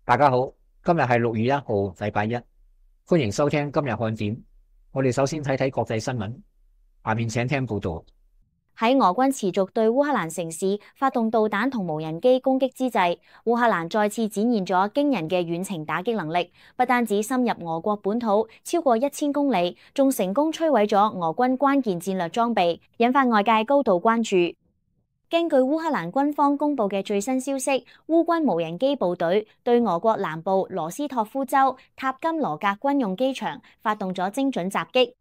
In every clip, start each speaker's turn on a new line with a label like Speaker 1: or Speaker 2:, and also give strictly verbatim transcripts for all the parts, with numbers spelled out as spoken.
Speaker 1: 大家好，今日係六月一號，禮拜一，歡迎收聽今日看點。我哋首先睇睇國際新聞，下面請聽報道。
Speaker 2: 喺俄軍持續對烏克蘭城市發動導彈同無人機攻擊之際，烏克蘭再次展現咗驚人嘅遠程打擊能力，不單止深入俄國本土超過一千公里，仲成功摧毀咗俄軍關鍵戰略裝備，引發外界高度關注。根據烏克蘭軍方公布嘅最新消息，烏軍無人機部隊對俄國南部羅斯托夫州塔金羅格軍用機場發動咗精準襲擊。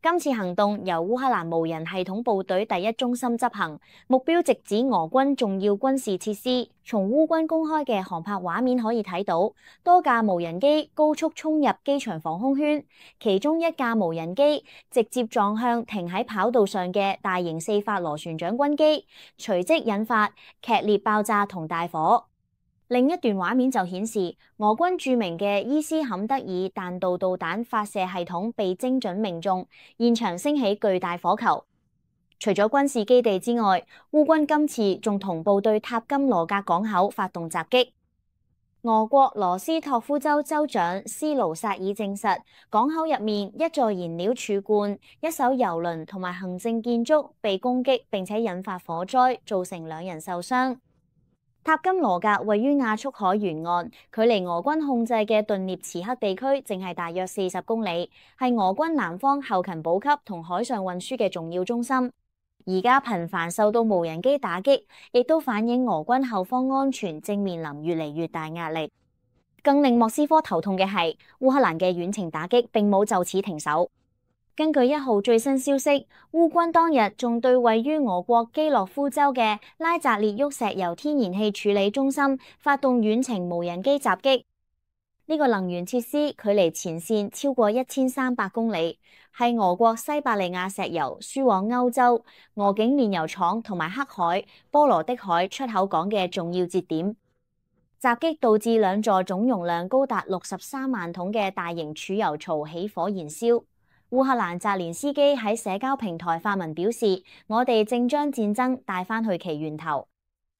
Speaker 2: 今次行動由烏克蘭無人系統部隊第一中心執行，目標直指俄軍重要軍事設施。從烏軍公開嘅航拍畫面可以睇到，多架無人機高速衝入機場防空圈，其中一架無人機直接撞向停喺跑道上嘅大型四發螺旋槳軍機，隨即引發劇烈爆炸同大火。另一段畫面就顯示，俄軍著名嘅伊斯坎德爾彈道導彈發射系統被精準命中，現場升起巨大火球。除咗軍事基地之外，烏軍今次仲同步對塔金羅格港口發動襲擊。俄國羅斯托夫州州長斯盧薩爾證實，港口入面一座燃料儲罐、一艘郵輪同埋行政建築被攻擊，並且引發火災，造成兩人受傷。塔金羅格位於亞速海沿岸，距離俄軍控制嘅頓涅茨克地區淨係大約四十公里，係俄軍南方後勤補給同海上運輸嘅重要中心。而家頻繁受到無人機打擊，亦都反映俄軍後方安全正面臨越嚟越大壓力。更令莫斯科頭痛嘅係，烏克蘭嘅遠程打擊並冇就此停手。根據一號最新消息，烏軍當日仲對位於俄國基洛夫州嘅拉扎列沃石油天然氣處理中心發動遠程無人機襲擊。呢個能源設施距離前線超過一千三百公里，係俄國西伯利亞石油輸往歐洲、俄境煉油廠同埋黑海、波羅的海出口港嘅重要節點。襲擊導致兩座總容量高達六十三萬桶嘅大型儲油槽起火燃燒。烏克蘭澤連斯基喺社交平台發文表示：我哋正將戰爭帶返去其源頭。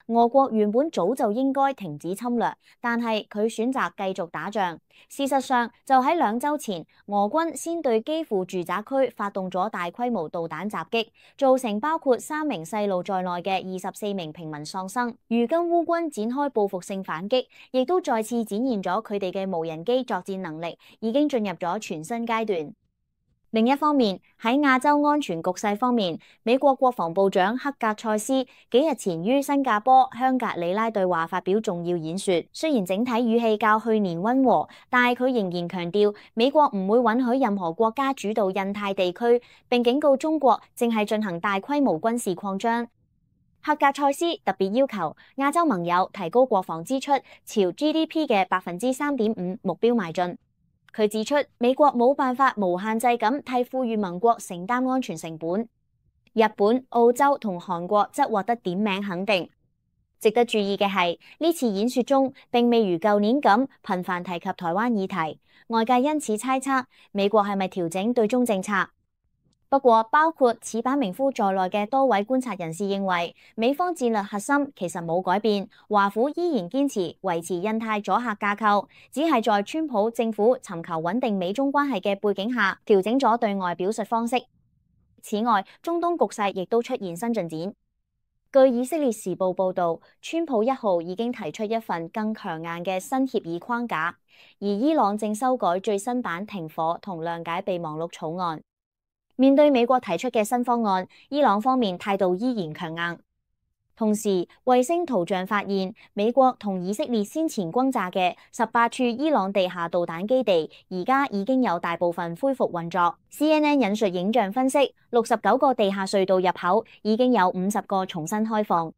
Speaker 2: 俄國原本早就應該停止侵略，但係佢選擇繼續打仗。事實上，就喺兩週前，俄軍先對基輔住宅區發動咗大規模導彈襲擊，造成包括三名細路在內嘅二十四名平民喪生。如今烏軍展開報復性反擊，亦都再次展現咗佢哋嘅無人機作戰能力已經進入咗全新階段。另一方面，喺亞洲安全局勢方面，美國國防部長克格塞斯幾日前於新加坡香格里拉對話發表重要演說。雖然整體語氣較去年溫和，但係佢仍然強調美國唔會允許任何國家主導印太地區，並警告中國正係進行大規模軍事擴張。克格塞斯特別要求亞洲盟友提高國防支出，朝 G D P 嘅百分之三點五目標邁進。佢指出，美國冇辦法無限制咁替富裕盟國承擔安全成本。日本、澳洲同韓國則獲得點名肯定。值得注意嘅係，呢次演說中並未如舊年咁頻繁提及台灣議題，外界因此猜測美國係咪調整對中政策。不過，包括矢板明夫在內嘅多位觀察人士認為，美方戰略核心其實冇改變，華府依然堅持維持印太阻嚇架構，只係在川普政府尋求穩定美中關係嘅背景下，調整咗對外表述方式。此外，中東局勢亦都出現新進展。據以色列時報報導，川普一號已經提出一份更強硬嘅新協議框架，而伊朗正修改最新版停火同諒解備忘錄草案。面對美國提出嘅新方案，伊朗方面態度依然強硬。同時，衛星圖像發現美國同以色列先前轟炸嘅十八處伊朗地下導彈基地，而家已經有大部分恢復運作。C N N 引述影像分析，六十九個地下隧道入口已經有五十個重新開放。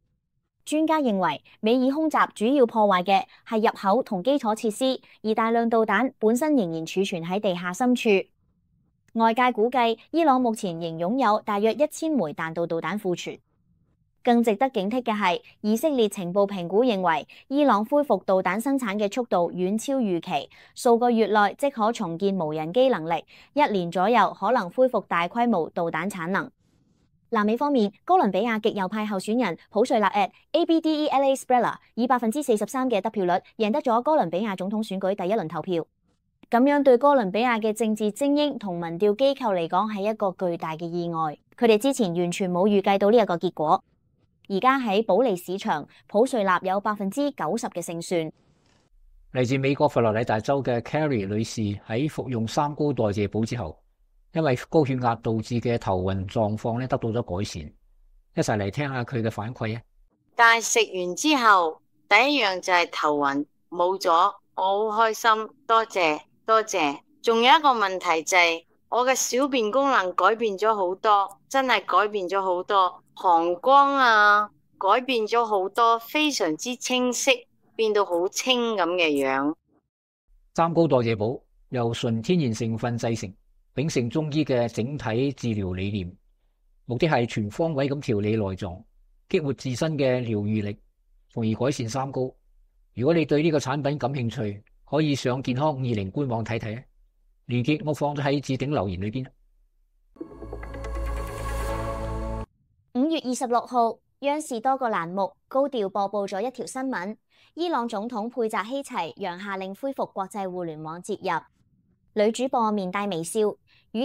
Speaker 2: 專家認為，美以空襲主要破壞嘅係入口同基礎設施，而大量導彈本身仍然儲存喺地下深處。外界估計，伊朗目前仍擁有大約一千枚彈道導彈庫存。更值得警惕嘅係，以色列情報評估認為，伊朗恢復導彈生產嘅速度遠超預期，數個月內即可重建無人機能力，一年左右可能恢復大規模導彈產能。南美方面，哥倫比亞極右派候選人普瑞納 at Abdel Esprella 以百分之四十三嘅得票率贏得咗哥倫比亞總統選舉第一輪投票。咁樣對哥倫比亞嘅政治精英同民調機構嚟講係一個巨大嘅意外，佢哋之前完全冇預計到呢一個結果。而家喺保利市場，普瑞納有百分之九十嘅勝算。
Speaker 1: 嚟自美國佛羅里達州嘅 Carrie 女士喺服用三高代謝補之後，因為高血壓導致嘅頭暈狀況咧得到咗改善。一齊嚟聽下佢嘅反饋啊！
Speaker 3: 但係食完之後，第一樣就係頭暈冇咗，我好開心，多謝多謝。仲有一個問題就係、是、我嘅小便功能改變咗好多，真係改變咗好多，膀胱啊改變咗好多，非常之清晰，變到好清咁嘅樣。
Speaker 1: 三高代謝補由純天然成分製成，秉承中醫嘅整體治療理念，目的係全方位咁調理內臟，激活自身嘅療癒力，從而改善三高。如果你對呢個產品感興趣，可以上健康五二零官網睇睇啊！連結我放咗喺置頂留言裏邊。
Speaker 2: 五月二十六號，央視多個欄目高調播報咗一條新聞：伊朗總統佩澤希齊讓下令恢復國際互聯網接入。女主播面帶微笑，語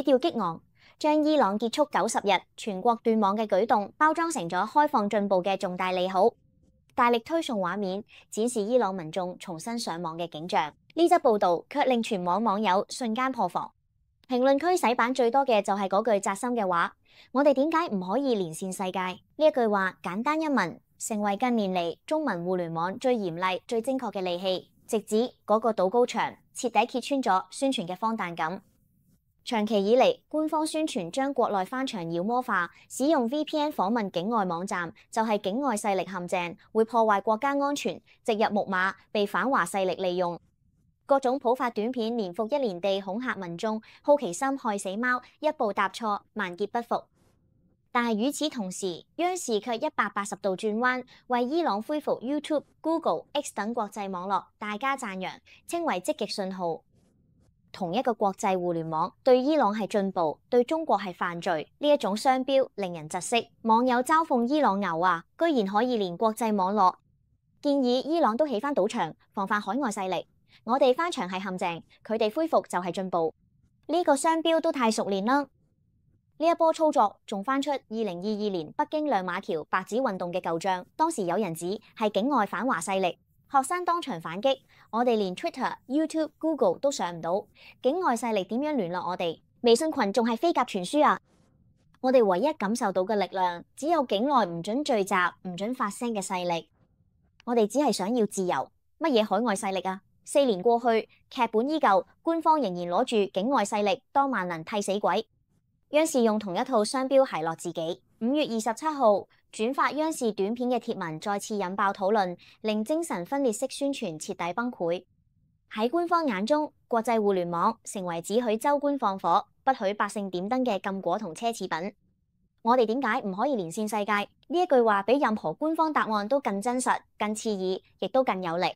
Speaker 2: 調激昂，將伊朗結束九十日全國斷網嘅舉動包裝成咗開放進步嘅重大利好，大力推送畫面展示伊朗民眾重新上網嘅景象。呢則報道卻令全網網友瞬間破防，評論區洗版最多嘅就係嗰句扎心嘅話：我哋點解唔可以連線世界？呢一句話簡單一文，成為近年嚟中文互聯網最嚴厲、最精確嘅利器，直指嗰個堵高牆，徹底揭穿咗宣傳嘅荒誕感。長期以嚟，官方宣傳將國內翻牆妖魔化，使用 V P N 訪問境外網站，就係境外勢力陷阱，會破壞國家安全，植入木馬，被反華勢力利用。各種普發短片，年復一年地恐嚇民眾，好奇心害死貓，一步踏錯，萬劫不復。但係與此同時，央視卻一百八十度轉彎，為伊朗恢復 YouTube、Google、X 等國際網絡大加讚揚，稱為積極信號。同一個國際互聯網對伊朗係進步，對中國係犯罪，呢一種雙標令人窒息。網友嘲諷伊朗牛啊，居然可以連國際網絡，建議伊朗都起翻賭場，防範海外勢力。我哋翻牆係陷阱，佢哋恢復就係進步。呢個商標都太熟練啦！呢一波操作仲翻出二零二二年北京亮馬橋白紙運動嘅舊賬，當時有人指係境外反華勢力，學生當場反擊：我哋連 Twitter、YouTube、Google 都上唔到，境外勢力點樣聯絡我哋？微信群仲係飛鴿傳書啊！我哋唯一感受到嘅力量，只有境內唔准聚集、唔准發聲嘅勢力。我哋只係想要自由，乜嘢海外勢力啊？四年過去，劇本依舊，官方仍然攞住境外勢力當萬能替死鬼。央視用同一套商標奚落自己。五月二十七號轉發央視短片嘅貼文再次引爆討論，令精神分裂式宣傳徹底崩潰。喺官方眼中，國際互聯網成為只許州官放火，不許百姓點燈嘅禁果同奢侈品。我哋點解唔可以連線世界？呢一句話比任何官方答案都更真實、更刺耳，亦都更有力。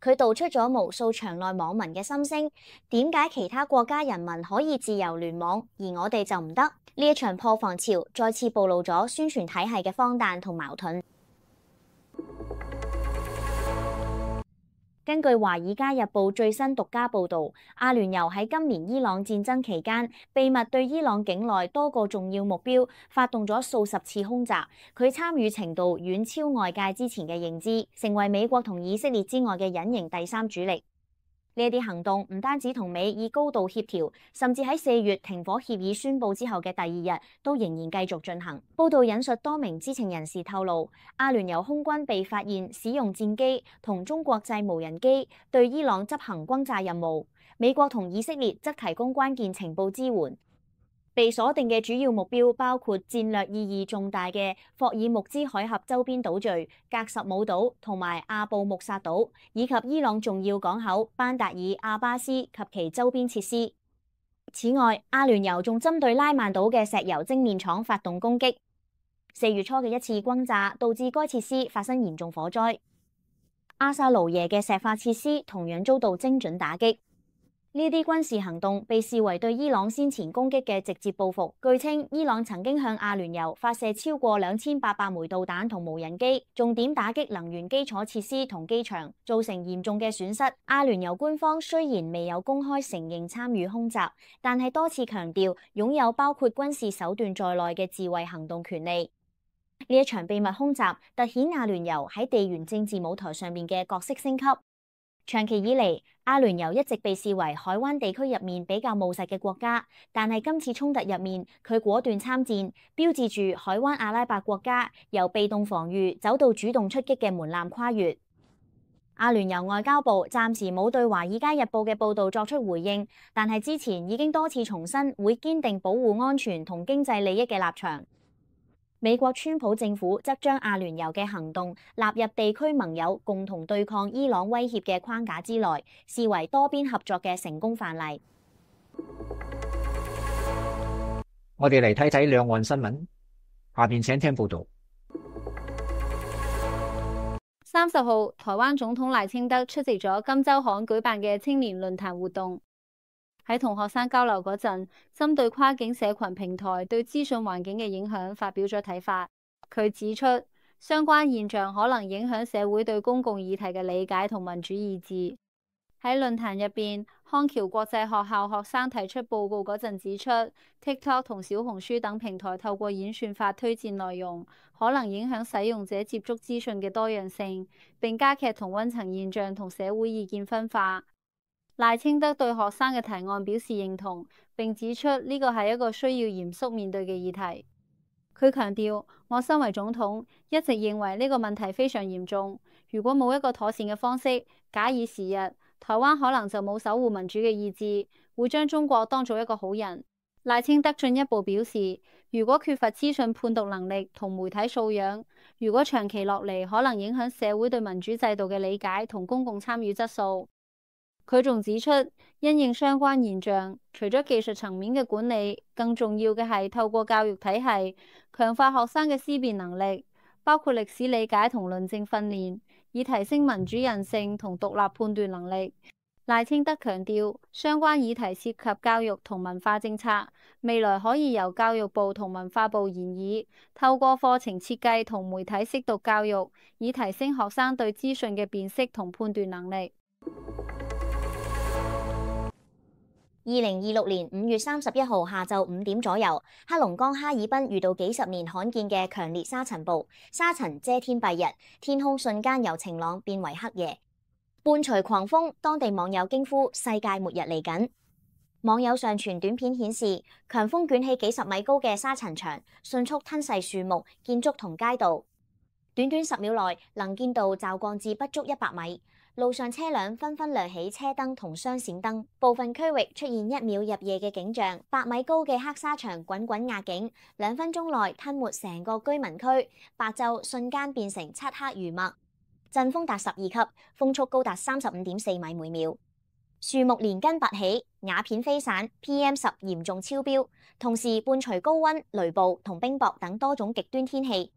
Speaker 2: 佢道出咗無數場內網民嘅心聲，點解其他國家人民可以自由聯網，而我哋就唔得？呢一場破防潮再次暴露咗宣傳體系嘅荒誕同矛盾。根據《華爾街日報》最新獨家報導，阿聯酋喺今年伊朗戰爭期間，秘密對伊朗境內多個重要目標發動咗數十次空襲，佢參與程度遠超外界之前嘅認知，成為美國同以色列之外嘅隱形第三主力。呢一啲行動唔單止同美以高度協調，甚至喺四月停火協議宣佈之後嘅第二日，都仍然繼續進行。報道引述多名知情人士透露，阿聯酋空軍被發現使用戰機同中國製無人機對伊朗執行轟炸任務，美國同以色列則提供關鍵情報支援。被鎖定嘅主要目標包括戰略意義重大嘅霍爾木茲海峽周邊島嶼、格什姆島同埋阿布穆薩島，以及伊朗重要港口班達爾阿巴斯及其周邊設施。此外，阿聯酋仲針對拉曼島嘅石油精煉廠發動攻擊。四月初嘅一次轟炸導致該設施發生嚴重火災。阿薩盧耶嘅石化設施同樣遭到精準打擊。呢啲軍事行動被視為對伊朗先前攻擊嘅直接報復。據稱，伊朗曾經向阿聯酋發射超過兩千八百枚導彈同無人機，重點打擊能源基礎設施同機場，造成嚴重嘅損失。阿聯酋官方雖然未有公開承認參與空襲，但係多次強調擁有包括軍事手段在內嘅自衛行動權利。呢一場秘密空襲凸顯阿聯酋喺地緣政治舞台上面嘅角色升級。長期以嚟，阿聯酋一直被視為海灣地區入面比較務實嘅國家，但係今次衝突入面，佢果斷參戰，標誌住海灣阿拉伯國家由被動防禦走到主動出擊嘅門檻跨越。阿聯酋外交部暫時冇對《華爾街日報》嘅報導作出回應，但係之前已經多次重申會堅定保護安全同經濟利益嘅立場。美國川普政府則將阿聯酋嘅行動納入地區盟友共同對抗伊朗威脅嘅框架之內，視為多邊合作嘅成功範例。
Speaker 1: 我哋嚟睇睇兩岸新聞，下邊請聽報道。
Speaker 4: 三十號，台灣總統賴清德出席咗金周刊舉辦嘅青年論壇活動。喺同學生交流嗰陣，針對跨境社群平台對資訊環境嘅影響發表咗睇法。佢指出，相關現象可能影響社會對公共議題嘅理解同民主意志。喺論壇入邊，康橋國際學校學生提出報告嗰陣指出 ，TikTok 同小紅書等平台透過演算法推薦內容，可能影響使用者接觸資訊嘅多樣性，並加劇同溫層現象同社會意見分化。賴清德對學生嘅提案表示認同，並指出呢個係一個需要嚴肅面對嘅議題。佢強調，我身為總統，一直認為呢個問題非常嚴重。如果冇一個妥善嘅方式，假以時日，台灣可能就冇守護民主嘅意志，會將中國當做一個好人。賴清德進一步表示，如果缺乏資訊判讀能力同媒體素養，如果長期落嚟，可能影響社會對民主制度嘅理解同公共參與質素。佢仲指出，因應相關現象，除咗技術層面嘅管理，更重要嘅係透過教育體系強化學生嘅思辨能力，包括歷史理解同論證訓練，以提升民主韌性同獨立判斷能力。賴清德強調，相關議題涉及教育同文化政策，未來可以由教育部同文化部研議，透過課程設計同媒體識讀教育，以提升學生對資訊嘅辨識同判斷能力。
Speaker 2: 二零二六年五月三十一號下晝五點左右，黑龍江哈爾濱遇到幾十年罕見嘅強烈沙塵暴，沙塵遮天蔽日，天空瞬間由晴朗變為黑夜，伴隨狂風，當地網友驚呼世界末日嚟緊。網友上傳短片顯示，強風捲起幾十米高嘅沙塵牆，迅速吞噬樹木、建築同街道，短短十秒內能見度驟降至不足一百米。路上車輛紛紛亮起車燈同雙閃燈，部分區域出現一秒入夜嘅景象。百米高嘅黑沙牆滾滾壓境，兩分鐘內吞沒成個居民區，白晝瞬間變成漆黑如墨。陣風達十二級，風速高達三十五點四米每秒。樹木連根拔起，瓦片飛散 ，P M 十嚴重超標，同時伴隨高溫、雷暴同冰雹等多種極端天氣。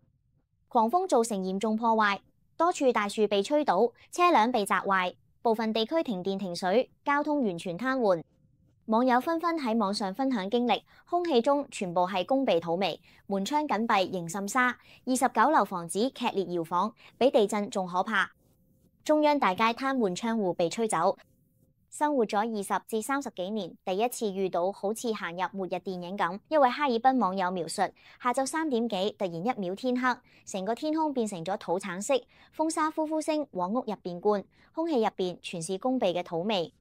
Speaker 2: 狂風造成嚴重破壞。多處大樹被吹倒，車輛被砸壞，部分地區停電停水，交通完全癱瘓。網友紛紛喺網上分享經歷，空氣中全部係攻鼻土味，門窗緊閉仍滲沙，二十九樓房子劇烈搖晃，比地震仲可怕。中央大街癱瘓窗戶被吹走。生活咗二十至三十幾年，第一次遇到好似行入末日電影咁。一位哈爾濱網友描述：下晝三點幾，突然一秒天黑，成個天空變成咗土橙色，風沙呼呼聲往屋入邊灌，空氣入邊全是攻鼻嘅土味。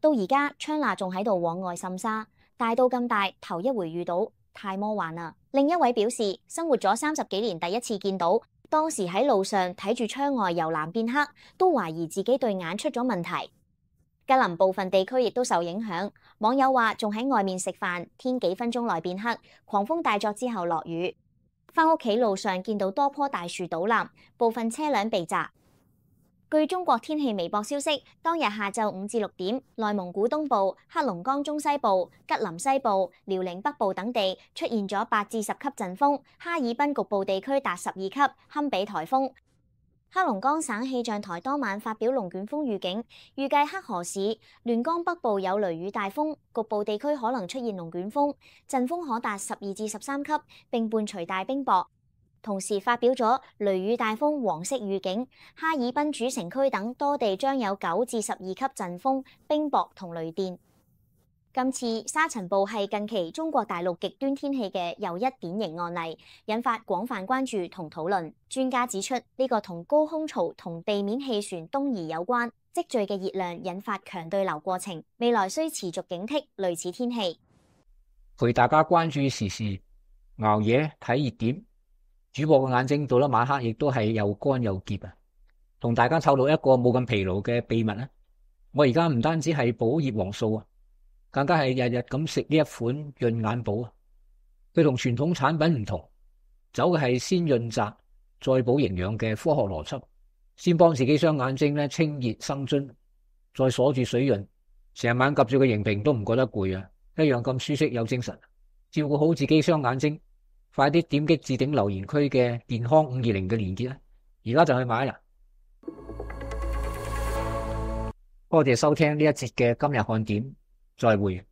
Speaker 2: 到而家窗罅仲喺度往外滲沙，大到咁大，頭一回遇到，太魔幻啦！另一位表示：生活咗三十幾年，第一次見到，當時喺路上睇住窗外由藍變黑，都懷疑自己對眼出咗問題。吉林部分地區亦都受影響，網友話仲喺外面食飯，天幾分鐘內變黑，狂風大作之後落雨。返屋企路上見到多棵大樹倒冧，部分車輛被砸。據中國天氣微博消息，當日下晝五至六點，內蒙古東部、黑龍江中西部、吉林西部、遼寧北部等地出現咗八至十級陣風，哈爾濱局部地區達十二級，堪比颱風。黑龍江省氣象台當晚發表龍捲風預警，預計黑河市、亂江北部有雷雨大風，局部地區可能出現龍捲風，陣風可達十二至十三級，並伴隨大冰雹。同時發表咗雷雨大風黃色預警，哈爾濱主城區等多地將有九至十二級陣風、冰雹同雷電。今次沙塵暴係近期中國大陸極端天氣嘅又一典型案例，引發廣泛關注同討論。專家指出，呢個同高空槽同地面氣旋東移有關，積聚嘅熱量引發強對流過程，未來需持續警惕類似天氣。
Speaker 1: 陪大家關注時事，熬夜睇熱點。主播嘅眼睛到咗晚黑亦都係又乾又澀啊！同大家透露一個冇咁疲勞嘅秘密啊！我而家唔單止係補葉黃素啊，更加係日日咁食呢一款潤眼寶啊！佢同傳統產品唔同，走嘅係先潤澤再補營養嘅科學邏輯，先幫自己雙眼睛咧清熱生津，再鎖住水潤，成晚及住個螢屏都唔覺得攰啊！一樣咁舒適有精神，照顧好自己雙眼睛。快啲點擊置頂留言區嘅健康五二零嘅連結啦，而家就去買啦！多謝收聽呢一節嘅今日看點，再會。